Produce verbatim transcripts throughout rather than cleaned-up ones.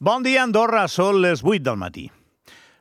Bon dia, Andorra. Són les vuit del matí.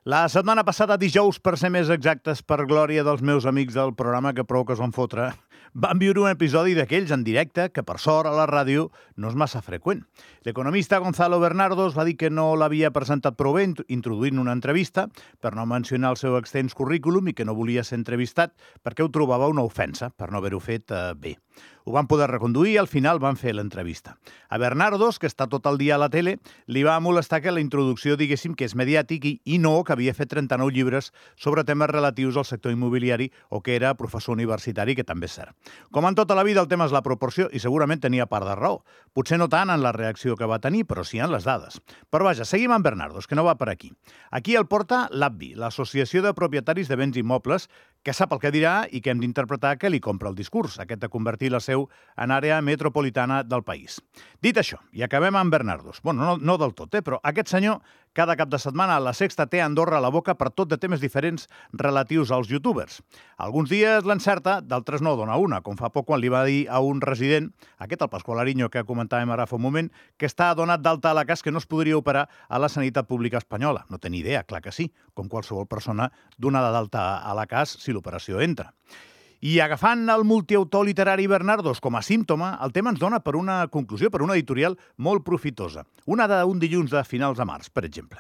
La setmana passada, dijous, per ser més exactes, per glòria dels meus amics del programa que prou que es van fotre, van viure un episodi d'aquells en directe que, per sort, a la ràdio no és massa freqüent. L'economista Gonzalo Bernardos va dir que no l'havia presentat prou bé introduint una entrevista per no mencionar el seu extens currículum i que no volia ser entrevistat perquè ho trobava una ofensa per no haver-ho fet eh, bé. Ho van poder reconduir i al final van fer l'entrevista. A Bernardos, que està tot el dia a la tele, li va molestar que la introducció diguéssim que és mediàtic i, i no que havia fet trenta-nou llibres sobre temes relatius al sector immobiliari o que era professor universitari, que també és cert. Com en tota la vida, el tema és la proporció i segurament tenia part de raó. Potser no tant en la reacció que va tenir, però sí en les dades. Però vaja, seguim amb Bernardos, que no va per aquí. Aquí el porta l'A B B I, l'Associació de Propietaris de Béns Immobles, que sap el que dirà i que hem d'interpretar que li compra el discurs, aquest de convertir la seu en àrea metropolitana del país. Dit això, i acabem amb Bernardos. Bueno, no, no del tot, eh? Però aquest senyor cada cap de setmana a La Sexta té Andorra a la boca per tot de temes diferents relatius als youtubers. Alguns dies l'encerta, d'altres no dona una, com fa poc quan li va dir a un resident, aquest el Pasqual Ariño que comentàvem ara fa un moment, que està donat d'alta a la cas que no es podria operar a la sanitat pública espanyola. No té ni idea, clar que sí, com qualsevol persona donada d'alta a la cas si l'operació entra. I agafant el multiautor literari Bernardos com a símptoma, el tema ens dona per una conclusió, per una editorial molt profitosa. Una d'un dilluns de finals de març, per exemple.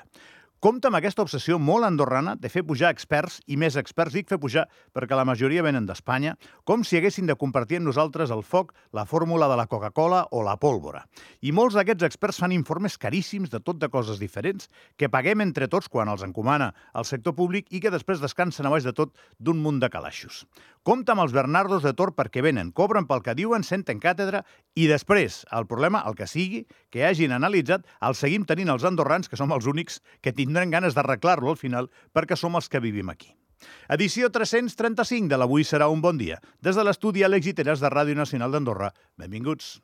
Compte amb aquesta obsessió molt andorrana de fer pujar experts i més experts, dic fer pujar perquè la majoria venen d'Espanya, com si haguessin de compartir amb nosaltres el foc, la fórmula de la Coca-Cola o la pólvora. I molts d'aquests experts fan informes caríssims de tot de coses diferents que paguem entre tots quan els encomana el sector públic i que després descansen a baix de tot d'un munt de calaixos. Compte amb els Bernardos de Tor perquè venen, cobren pel que diuen, senten càtedra i després, el problema, el que sigui, que hagin analitzat, el seguim tenint els andorrans, que som els únics que tindran ganes d'arreglar-lo al final perquè som els que vivim aquí. Edició tres-cents trenta-cinc de l'Avui serà un bon dia. Des de l'estudi Àlex Giteras de Ràdio Nacional d'Andorra. Benvinguts.